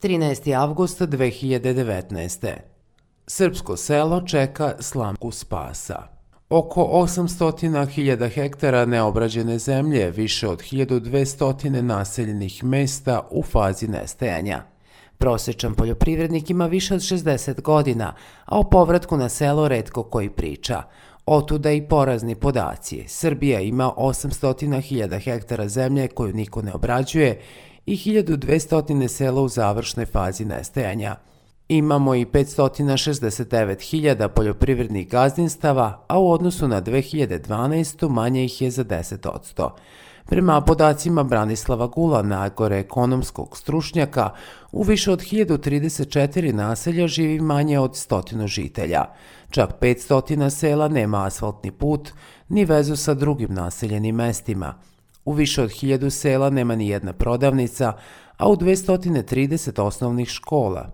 13. avgust 2019. Srpsko selo čeka slamku spasa. Oko 800.000 hektara neobrađene zemlje, više od 1200 naseljenih mesta u fazi nestajanja. Prosječan poljoprivrednik ima više od 60 godina, a o povratku na selo retko koji priča. Otuda i porazni podaci. Srbija ima 800.000 hektara zemlje koju niko ne obrađuje i 1200 sela u završnoj fazi nestajanja. Imamo i 569.000 poljoprivrednih gazdinstava, a u odnosu na 2012. manje ih je za 10%. Prema podacima Branislava Gulana, agroekonomskog stručnjaka, u više od 1034 naselja živi manje od 100 žitelja. Čak 500 sela nema asfaltni put, ni vezu sa drugim naseljenim mestima. U više od 1000 sela nema ni jedna prodavnica, a u 230 osnovnih škola.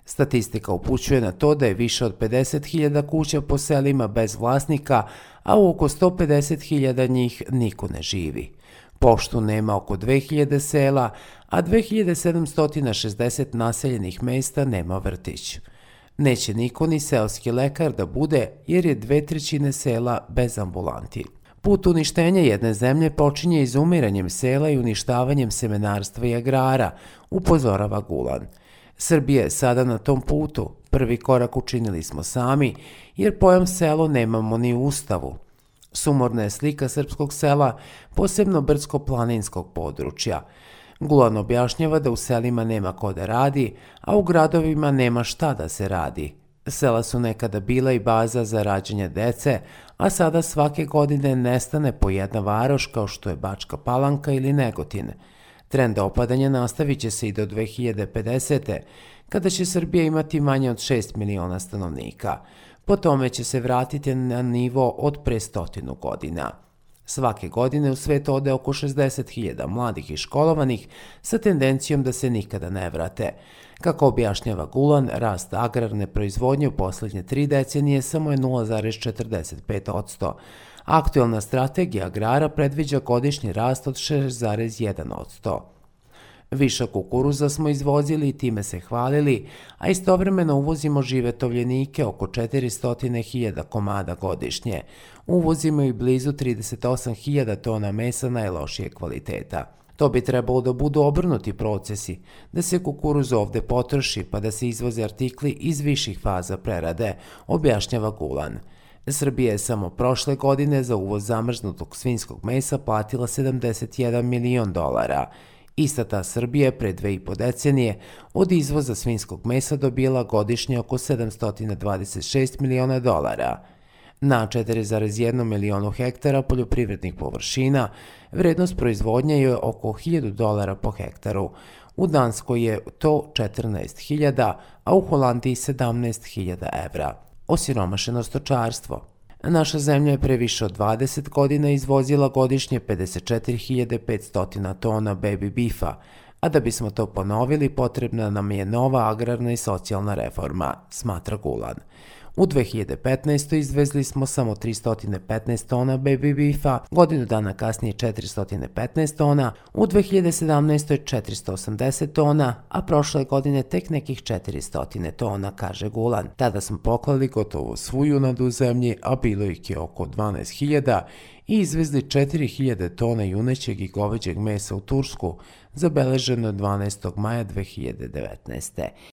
Statistika upućuje na to da je više od 50.000 kuća po selima bez vlasnika, a u oko 150.000 njih niko ne živi. Poštu nema oko 2000 sela, a 2760 naseljenih mesta nema vrtić. Neće niko ni seoski lekar da bude jer je 2/3 sela bez ambulanti. Put uništenja jedne zemlje počinje izumiranjem sela i uništavanjem semenarstva i agrara, upozorava Gulan. Srbija je sada na tom putu. Prvi korak učinili smo sami, jer pojam selo nemamo ni u Ustavu. Sumorna je slika srpskog sela, posebno brdsko-planinskog područja. Gulan objašnjava da u selima nema ko da radi, a u gradovima nema šta da se radi. Sela su nekada bila i baza za rađanje dece, a sada svake godine nestane po jedna varoš kao što je Bačka Palanka ili Negotin. Trend opadanja nastavit će se i do 2050. kada će Srbija imati manje od 6 miliona stanovnika. Po tome će se vratiti na nivo od pre 100 godina. Svake godine u svet ode oko 60.000 mladih i školovanih sa tendencijom da se nikada ne vrate. Kako objašnjava Gulan, rast agrarne proizvodnje u posljednje 3 decenije samo je 0,45%. Aktuelna strategija agrara predviđa godišnji rast od 6,1%. Višak kukuruza smo izvozili i time se hvalili, a istovremeno uvozimo žive tovljenike oko 400.000 komada godišnje. Uvozimo i blizu 38.000 tona mesa najlošije kvaliteta. To bi trebalo da budu obrnuti procesi, da se kukuruz ovde potroši pa da se izvoze artikli iz viših faza prerade, objašnjava Gulan. Srbija je samo prošle godine za uvoz zamrznutog svinjskog mesa platila $71 milion. Ista ta Srbija je pre 2,5 decenije od izvoza svinjskog mesa dobila godišnje oko $726 miliona. Na 4,1 milionu hektara poljoprivrednih površina vrednost proizvodnje je oko $1.000 po hektaru. U Danskoj je to 14.000, a u Holandiji 17.000 evra. Osiromašeno stočarstvo. Naša zemlja je pre više od 20 godina izvozila godišnje 54.500 tona baby beefa, a da bismo to ponovili potrebna nam je nova agrarna i socijalna reforma, smatra Gulan. U 2015. izvezli smo samo 315 tona baby beefa, godinu dana kasnije 415 tona, u 2017. 480 tona, a prošle godine tek nekih 400 tona, kaže Gulan. Tada smo poklali gotovo svu junadu u zemlji, a bilo ih je oko 12.000 i izvezli 4.000 tona junećeg i goveđeg mesa u Tursku, zabeleženo 12. maja 2019.